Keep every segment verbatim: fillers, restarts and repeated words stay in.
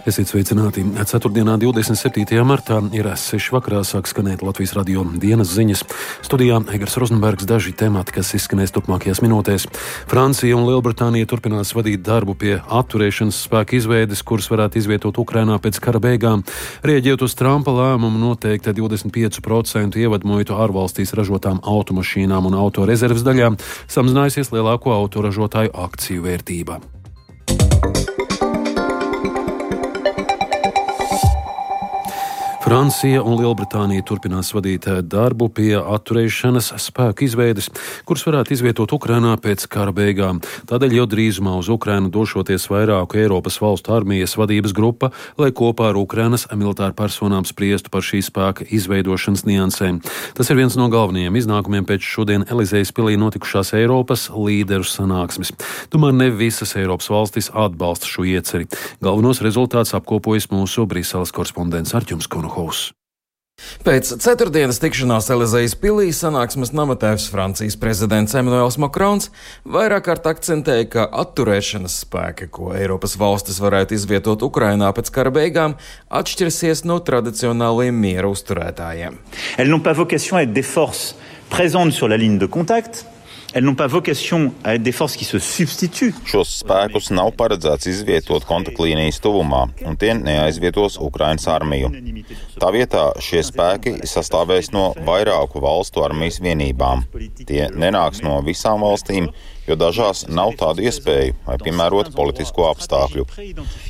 Esiet sveicināti. Ceturtdienā, divdesmit septītajā martā, ir seši vakarā sāk skanēt Latvijas radio dienas ziņas. Studijā Egars Rozenbergs, daži temati, kas izskanēs turpmākajās minūtēs. Francija un Lielbritānija turpinās vadīt darbu pie atturēšanas spēka izveides, kuras varētu izvietot Ukrainā pēc kara beigām. Rieģējot uz Trumpa lēmumu noteikt divdesmit pieci procenti ievadmuitu ārvalstīs ražotām automašīnām un auto rezerves daļām, samazinājusies lielāko autoražotāju akciju vērtība. Francija un Lielbritānija turpinās vadīt darbu pie atturēšanas spēku izveides, kuras varētu izvietot Ukrainā pēc kara beigām. Tādēļ jau drīzumā uz Ukrainu došoties vairāku Eiropas valstu armijas vadības grupa, lai kopā ar Ukrainas militāru personām spriestu par šī spēka izveidošanas niansēm. Tas ir viens no galvenajiem iznākumiem pēc šodien Elizejas pilī notikušās Eiropas līderu sanāksmes. Tomēr ne visas Eiropas valstis atbalsta šo ieceri. Galvenos rezultātus apkopojas mūsu Briseles korespondents Arķums Konuhovs. Pēc ceturtdienas tikšanās Elizejas pilī sanāksmes namatēvs Francijas prezidents Emmanuels Macrons vairāk kārt akcentēja, ka atturēšanas spēki, ko Eiropas valstis varētu izvietot Ukrainā pēc kara beigām, atšķirsies no tradicionālajiem miera uzturētājiem. Elles n'ont pas vocation à être des forces présentes sur la ligne de contact. Elles n'ont pas vocation à être des forces qui se substituent. Šos spēkus nav paredzēts izvietot kontaktlīnijas tuvumā, un tie neaizvietos Ukrainas armiju. Tā vietā šie spēki sastāvēs no vairāku valstu armijas vienībām. Tie nenāks no visām valstīm, jo dažās nav tādu iespēju vai piemērot politisko apstākļu.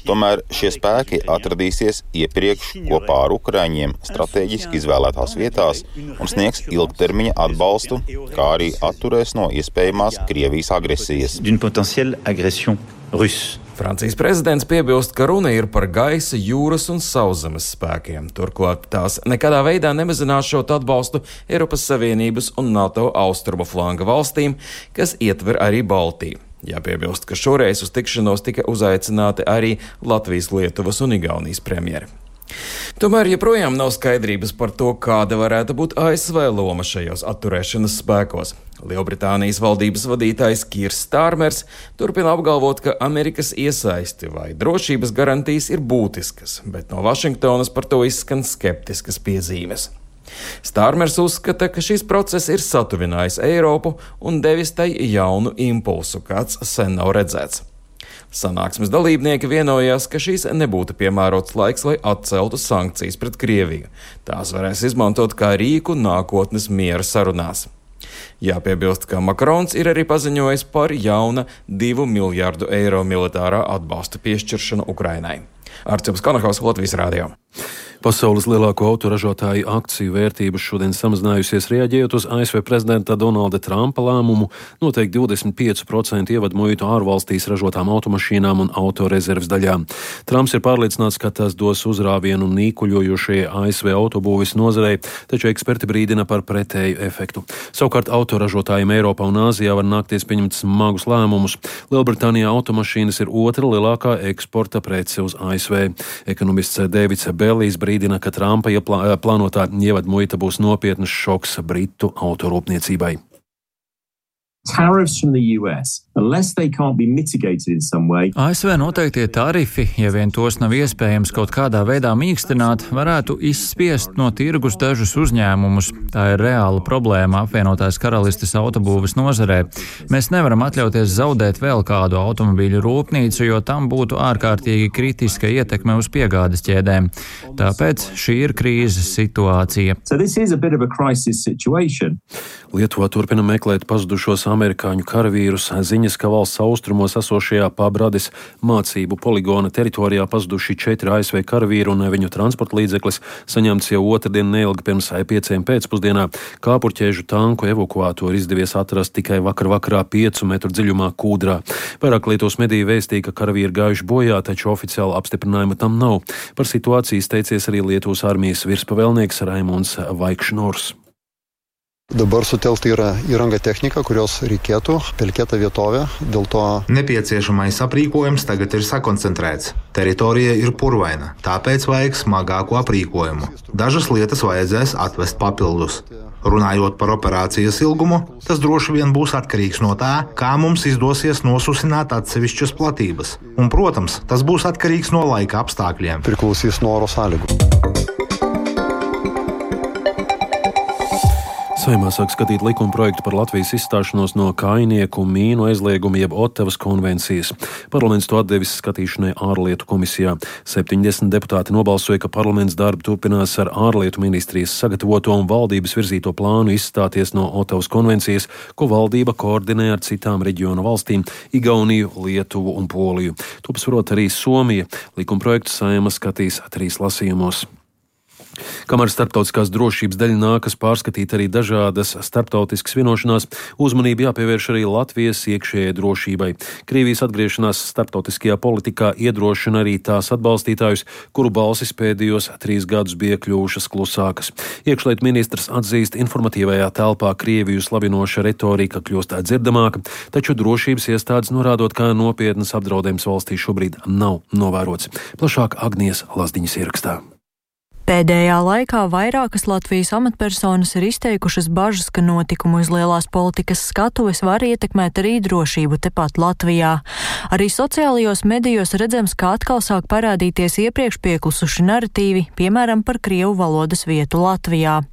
Tomēr šie spēki atradīsies iepriekš kopā ar ukraiņiem strateģiski izvēlētās vietās un sniegs ilgtermiņa atbalstu, kā arī atturēs no iespējamās Krievijas agresijas. Francijas prezidents piebilst, ka runa ir par gaisa, jūras un sauszemes spēkiem. Turklāt tās nekādā veidā nemazinās atbalstu Eiropas Savienības un NATO austrumu flanga valstīm, kas ietver arī Baltiju. Jāpiebilst, ka šoreiz uz tikšanos tika uzaicināti arī Latvijas, Lietuvas un Igaunijas premjeri. Tomēr joprojām nav skaidrības par to, kāda varētu būt A S V loma šajos atturēšanas spēkos. Lielbritānijas valdības vadītājs Kirs Stārmers turpina apgalvot, ka Amerikas iesaisti vai drošības garantijas ir būtiskas, bet no Vašingtonas par to izskan skeptiskas piezīmes. Stārmers uzskata, ka šis process ir satuvinājis Eiropu un devis tai jaunu impulsu, kāds sen nav redzēts. Sanāksmes dalībnieki vienojās, ka šīs nebūtu piemērots laiks, lai atceltu sankcijas pret Krieviju. Tās varēs izmantot kā rīku nākotnes miera sarunās. Jāpiebilst, ka Makrons ir arī paziņojis par jauna divu miljārdu eiro militārā atbalsta piešķiršanu Ukrainai. Arķums Konuhovs, Latvijas radio. Pasaules lielāko autoražotāju akciju vērtība šodien samazinājusies, reaģējot uz A S V prezidenta Donalda Trumpa lēmumu noteikt divdesmit pieci procenti ievadmuitu ārvalstīs ražotām automašīnām un autorezerves daļām. Trumps ir pārliecināts, ka tas dos uzrāvienu nīkuļojošajai A S V autobūves nozarei, taču eksperti brīdina par pretēju efektu. Savukārt autoražotājiem Eiropā un Āzijā var nākties pieņemt smagus lēmumus. Lielbritānijā automašīnas ir otra lielākā eksporta prece uz A S V. Ekonomists Dēvids Bellijs brīdina, ka Trumpa plānotā ievadmuita būs nopietnas šoks Britu autorūpniecībai. Tariffs from the U S, unless they can't be mitigated in some way. A S V noteiktie tarifi, ja vien tos nav iespējams kaut kādā veidā mīkstināt, varētu izspiest no tirgus dažus uzņēmumus. Tā ir reāla problēma apvienotās karalistes autobūves nozarē. Mēs nevaram atļauties zaudēt vēl kādu automobīļu rūpnīcu, jo tam būtu ārkārtīgi kritiska ietekme uz piegādes ķēdēm. Tāpēc šī ir krīzes situācija. So this is a bit of a crisis situation. Lietuvā turpina meklēt pazudušos amerikāņu karavīrus. Ziņas, ka valsts austrumos esošajā Pabradis mācību poligona teritorijā pazuduši četri A S V karavīri un viņu transporta līdzeklis saņemts jau otrdien neilgi pirms pieciem pēcpusdienā. Kāpurķēžu tanku evakuātoru izdevies atrast tikai vakar vakarā piecu metru dziļumā kūdrā. Vairāk Lietuvas mediji vēstīja, ka karavīri gājuši bojā, taču oficiāla apstiprinājuma tam nav. Par situāciju izteicies arī Lietuvas armijas virspavēlnieks Raimonds Vaikšnors. Dabar sutelkta yra įranga tehnika, kurios reikėtų, pelkėta vietovė, dėl to nepieciešamais aprīkojums tagad ir sakoncentrēts. Teritorija ir purvaina, tāpēc vajag smagāku aprīkojumu. Dažas lietas vajadzēs atvest papildus. Runājot par operācijas ilgumu, tas droši vien būs atkarīgs no tā, kā mums izdosies nosusināt atsevišķas platības. Un, protams, tas būs atkarīgs no laika apstākļiem. Priklausīs no oro sāļu. Saeimā sāk skatīt likuma projektu par Latvijas izstāšanos no kainieku mīnu aizlieguma jeb Ottavas konvencijas. Parlaments to atdevis skatīšanai ārlietu komisijā. septiņdesmit deputāti nobalsoja, ka parlaments darbu turpinās ar ārlietu ministrijas sagatavoto un valdības virzīto plānu izstāties no Ottavas konvencijas, ko valdība koordinē ar citām reģionu valstīm - Igauniju, Lietuvu un Poliju. To pasvarot arī Somija. Likuma projektu Saeima skatīs trīs lasījumos. Kamēr starptautiskās drošības daļa nākas pārskatīt arī dažādas starptautiskas vienošanās, uzmanību jāpievērš arī Latvijas iekšējai drošībai. Krievijas atgriešanās starptautiskajā politikā iedrošina arī tās atbalstītājus, kuru balsis pēdējos trīs gadus bija kļuvušas klusākas. Iekšlietu ministrs atzīst, informatīvajā telpā Krieviju slavinoša retorika kļūst dzirdamāka, taču drošības iestādes norādot, ka nopietnas apdraudējums valstī šobrīd nav novērots. Plašāk Agnijas Lazdiņas ierakstā. Pēdējā laikā vairākas Latvijas amatpersonas ir izteikušas bažas, ka notikumu uz lielās politikas skatuves var ietekmēt arī drošību tepat Latvijā. Arī sociālajos medijos redzams, ka atkal sāk parādīties iepriekš pieklusuši naratīvi, piemēram, par krievu valodas vietu Latvijā.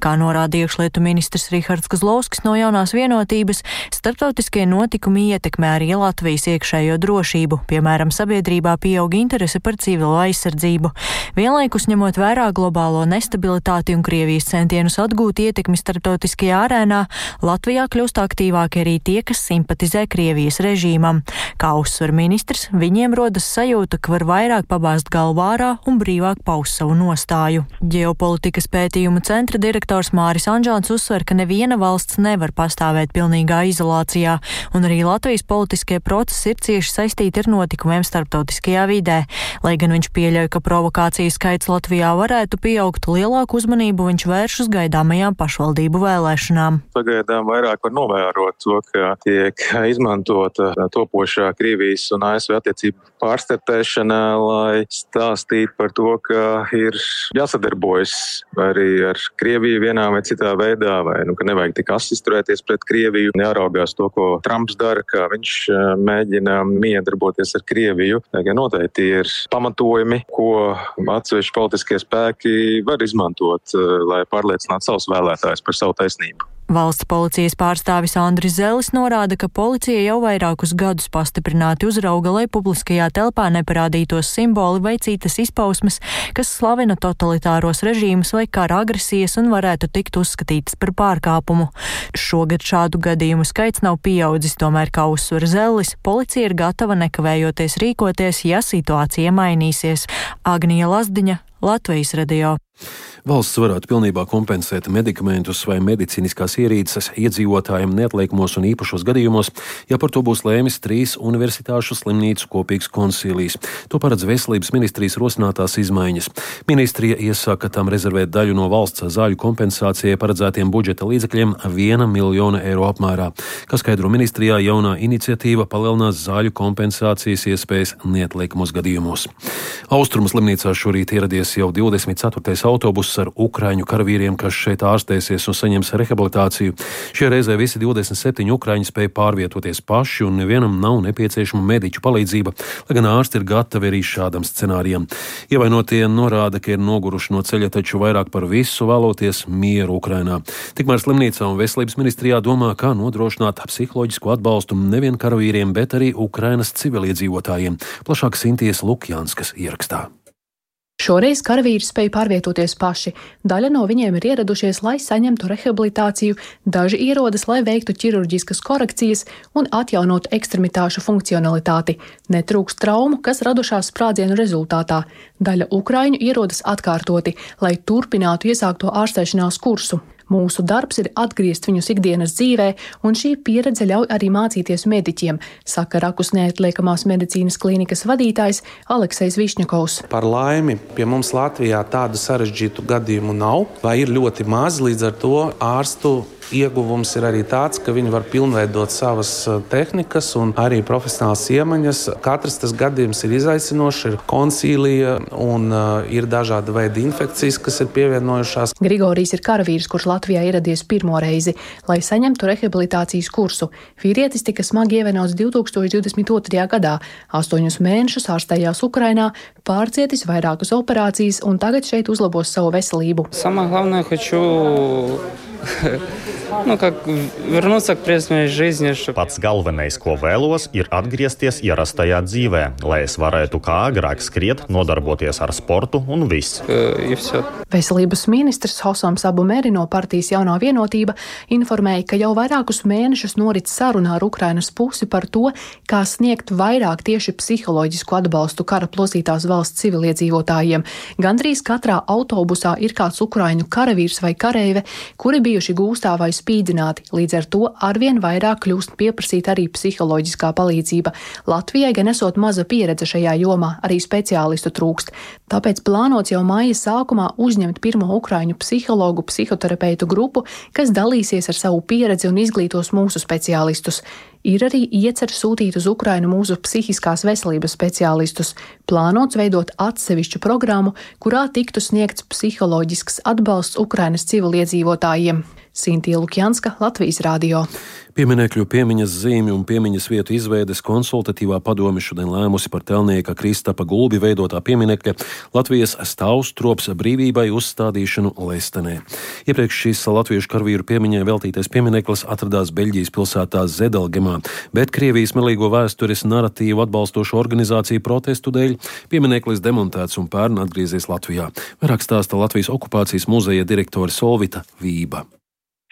Kā norāda iekšlietu ministrs Rihards Kozlovskis no Jaunās vienotības, starptautiskie notikumi ietekmē arī Latvijas iekšējo drošību, piemēram, sabiedrībā pieaug interese par civilo aizsardzību. Vienlaikus ņemot vērā globālo nestabilitāti un Krievijas centienus atgūt ietekmi starptautiskajā arēnā, Latvijā kļūst aktīvāki arī tie, kas simpatizē Krievijas režīmam. Kā uzsver ministrs, viņiem rodas sajūta, ka var vairāk pabāzt galvu ārā un brīvāk paust savu nostāju. Ģeopolitikas pētījumu centra direktors Māris Anžāns uzsver, ka neviena valsts nevar pastāvēt pilnīgā izolācijā, un arī Latvijas politiskie procesi ir cieši saistīti ar notikumiem starptautiskajā vidē. Lai gan viņš pieļauj, ka provokāciju skaits Latvijā varētu pieaugt, lielāku uzmanību viņš vērš uz gaidāmajām pašvaldību vēlēšanām. Pagaidām vairāk var novērot to, ka tiek izmantota topošā Krievijas un A S V attiecību pārstartēšana, lai stāstītu par to, ka ir jāsadarbojas arī ar Krieviju vienā vai citā veidā, vai nu, ka nevajag tik asisturēties pret Krieviju, jāraugās to, ko Trumps dara, kā viņš mēģina miedarboties ar Krieviju. Tagad noteikti ir pamatojumi, ko atsevišķi politiskie spēki var izmantot, lai pārliecinātu savus vēlētājus par savu taisnību. Valsts policijas pārstāvis Andris Zelis norāda, ka policija jau vairākus gadus pastiprināti uzrauga, lai publiskajā telpā neparādītos simboli vai citas izpausmes, kas slavina totalitāros režīmus vai kara agresijas un varētu tikt uzskatītas par pārkāpumu. Šogad šādu gadījumu skaits nav pieaudzis, tomēr, kā uzsver Zelis, policija ir gatava nekavējoties rīkoties, ja situācija mainīsies. Agnija Lazdiņa, Latvijas radio. Valsts varētu pilnībā kompensēt medikamentus vai medicīniskās ierīces iedzīvotājiem neatliekumos un īpašos gadījumos, ja par to būs lēmis trīs universitāšu slimnīcu kopīgs konsīlijs. To paredz Veselības ministrijas rosinātās izmaiņas. Ministrija iesaka tam rezervēt daļu no valsts zāļu kompensācijai paredzētiem budžeta līdzekļiem viena miljona eiro apmērā. Kā skaidro ministrijā, jaunā iniciatīva palielinās zāļu kompensācijas iespējas neatliekumos gadījumos. Austrumu slimnīcā šorīt ieradies jau divdesmit ceturtais autobuss ar ukraiņu karavīriem, kas šeit ārstēsies un saņems rehabilitāciju. Šie reizē visi divdesmit septiņi ukraiņi spēja pārvietoties paši un nevienam nav nepieciešama mediķu palīdzība, lai gan ārsti ir gatavi arī šādam scenārijam. Ievainotie norāda, ka ir noguruši no ceļa, taču vairāk par visu vēloties mieru Ukrainā. Tikmēr slimnīcā un Veselības ministrijā domā, kā nodrošināt psiholoģisku atbalstu nevien karavīriem, bet arī Ukrainas civiliedzīvotājiem. Plašāk Sintijas Lukjanskas ierakstā. Šoreiz karavīri spēja pārvietoties paši. Daļa no viņiem ir ieradušies, lai saņemtu rehabilitāciju, daži ierodas, lai veiktu ķirurģiskas korekcijas un atjaunotu ekstremitāšu funkcionalitāti. Netrūkst traumu, kas radušās sprādzienu rezultātā. Daļa ukraiņu ierodas atkārtoti, lai turpinātu iesākto ārstēšanās kursu. Mūsu darbs ir atgriezt viņus ikdienas dzīvē, un šī pieredze ļauj arī mācīties mediķiem, saka Rakus neatliekamās medicīnas klīnikas vadītājs Aleksejs Višņakovs. Par laimi pie mums Latvijā tādu sarežģītu gadījumu nav, vai ir ļoti maz, līdz ar to ārstu Ieguvums ir arī tāds, ka viņi var pilnveidot savas tehnikas un arī profesionālas iemaņas. Katrs tas gadījums ir izaicinošs, ir konsīlija un uh, ir dažāda veida infekcijas, kas ir pievienojušās. Grigorijs ir karavīrs, kurš Latvijā ieradies pirmo reizi, lai saņemtu rehabilitācijas kursu. Vīrietis tika smagi ievainots divi tūkstoši divdesmit otrajā gadā. Astoņus mēnešus ārstējās Ukrainā, pārcietis vairākas operācijas un tagad šeit uzlabos savu veselību. Самое главное, хочу nu, вернуться к прежней жизни. Pats galvenais, ko vēlos, ir atgriezties ierastajā dzīvē, lai es varētu kā agrāk skriet, nodarboties ar sportu un viss. Veselības ministrs Hosams Abumeri no partijas Jaunā vienotība informēja, ka jau vairākus mēnešus norit saruna ar Ukrainas pusi par to, kā sniegt vairāk tieši psiholoģisku atbalstu kara plosītās valsts civiliedzīvotājiem. Gandrīz katrā autobusā ir kāds ukraiņu karavīrs vai kareive, kuri bijuši gūstā vai spīdzināti, līdz ar to arvien vairāk kļūst pieprasīta arī psiholoģiskā palīdzība. Latvijai gan esot maza pieredze šajā jomā, arī speciālistu trūkst. Tāpēc plānots jau māja sākumā uzņemt pirmo ukraiņu psihologu, psihoterapeitu grupu, kas dalīsies ar savu pieredzi un izglītos mūsu speciālistus. Ir arī iecer sūtīt uz Ukrainu mūsu psihiskās veselības speciālistus. Plānots veidot atsevišķu programmu, kurā tiktu sniegts psiholoģisks atbalsts Ukrainas civiliedzīvotājiem. Sintija Lukjanska, Latvijas radio. Pieminekļu piemiņas zīmju un piemiņas vietu izveides konsultatīvā padome šodien lēmusi par Telnieka Kristapa Gulbi veidotā pieminekļa Latvijas stāvstrops brīvībai uzstādīšanu Lestenē. Iepriekš šīs latviešu karavīru piemiņai veltītais piemineklis atradās Beļģijas pilsētā Zedelgemā, bet Krievijas melīgo vēstures naratīvu atbalstošu organizāciju protestu dēļ piemineklis demontēts un pērn atgriezies Latvijā. Vairāk stāsta Latvijas okupācijas muzeja direktore Solvita Vība.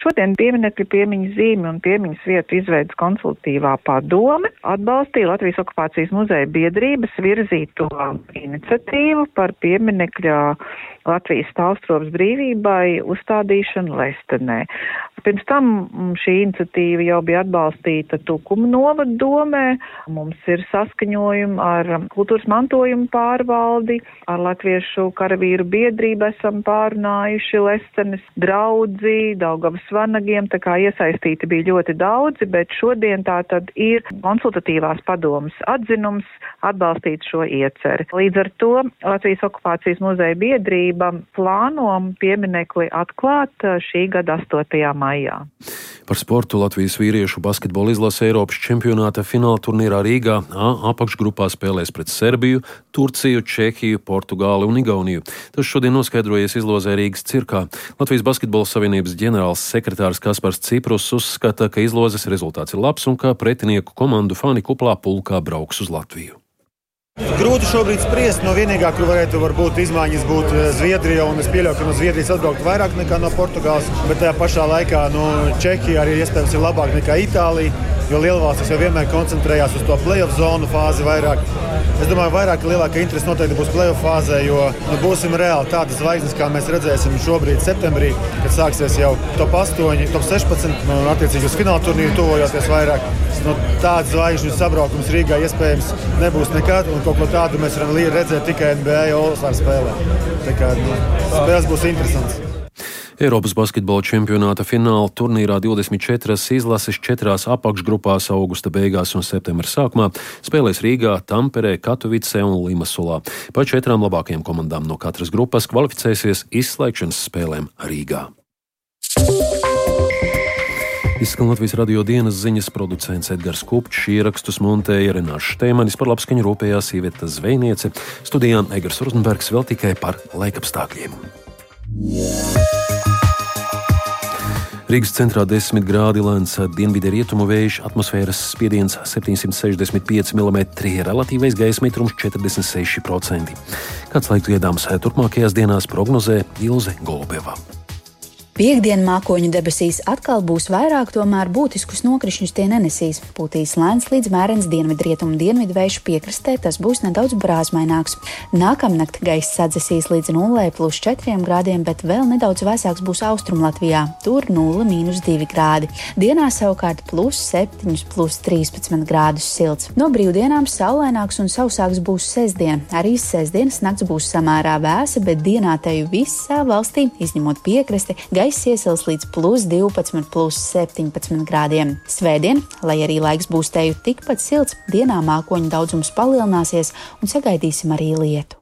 Šodien pieminekļu piemiņas zīmi un piemiņas vietu izveidas konsultatīvā padome atbalstīja Latvijas okupācijas muzeja biedrības virzīto iniciatīvu par pieminekļa Latvijas stāvstrops brīvībai uzstādīšanu Lestenē. Pirms tam šī iniciatīva jau bija atbalstīta Tukuma novada domē. Mums ir saskaņojumi ar kultūras mantojumu pārvaldi, ar Latviešu karavīru biedrību esam pārunājuši Lestenes draudzi, Daugavas vanagiem, tā kā iesaistīti bija ļoti daudzi, bet šodien tā tad ir konsultatīvās padomas atzinums atbalstīt šo ieceri. Līdz ar to Latvijas okupācijas muzeja biedrība plāno pieminekli atklāt šī gada astotajā maijā. Par sportu Latvijas vīriešu basketbola izlase Eiropas čempionāta fināla turnīrā Rīgā A apakšgrupā spēlēs pret Serbiju, Turciju, Čehiju, Portugāli un Igauniju. Tas šodien noskaidrojies izlozē Rīgas cirkā. Latvijas basketbola savienības ģenerāls sekretārs Kaspars Ciprus uzskata, ka izlozes rezultāts ir labs un ka pretinieku komandu fani kuplā pulkā brauks uz Latviju. Grūti šobrīd spriest, no vienīgā, kur varētu varbūt izmaiņas būt Zviedrija, un es pieļauju, ka no Zviedrijas atbraukt vairāk nekā no Portugāles, bet tajā pašā laikā no Čehija arī iespējams ir labāk nekā Itālija, jo lielvalstis jau vienmēr koncentrējās uz to play-off zonu fāzi vairāk. Es domāju, vairāk lielāka interese noteikti būs play-off fāzē, jo nu, būsim reāli tādas zvaigznes, kā mēs redzēsim šobrīd septembrī, kad sāksies jau top astoņi, top sešpadsmit, un attiecīgi uz fināla turnīru tuvojoties vairāk. Nu, tāds zvaigžņu sabraukums Rīgā iespējams nebūs nekad, un kaut ko tādu mēs varam redzēt tikai N B A All-Star spēlē. Tā kā nu, spēles būs interesants. Eiropas basketbola čempionāta fināla turnīrā divdesmit četras izlases četrās apakšgrupās augusta beigās un septembra sākumā spēlēs Rīgā, Tamperē, Katovicē un Limasolā. Pa četrām labākajām komandām no katras grupas kvalificēsies izslēgšanas spēlēm Rīgā. Izskan Latvijas radio dienas ziņas, producents Edgars Kupčs, ierakstus montēja Renārs Šteimanis, par labskaņu rūpējās Iveta Zvejniece, studijā Egars Rozenbergs vēl tikai par laikapstākļiem. Rīgas centrā desmit grādi, lēns dienvidu rietumu vējš, atmosfēras spiediens septiņsimt sešdesmit pieci milimetri, relatīvais gaisa mitrums četrdesmit seši procenti. Kāds laiks gaidāms turpmākajās dienās, prognozē Ilze Golubeva. Piektdien mākoņu debesīs atkal būs vairāk, tomēr būtiskus nokrišņus tie nenesīs. Pūtīs lēns līdz mērens dienvidrietumu dienvidvējš piekrastē, tas būs nedaudz brāzmaināks. Nākamnakt gaiss sadzesīs līdz nulle plus četriem grādiem, bet vēl nedaudz vēsāks būs Austrumlatvijā. Tur nulle mīnus divi grādi. Dienā savukārt plus septiņi plus trīspadsmit grādus silts. No brīvdienām saulaināks un sausāks būs sestdien. Arī sestdienas nakts būs samērā vēsa, bet dienā teju visā valstī, izņemot piekrasti, gaiss gaiss iesils līdz plus divpadsmit, plus septiņpadsmit grādiem. Svētdien, lai arī laiks būs teju tikpat silts, dienā mākoņu daudzums palielināsies un sagaidīsim arī lietu.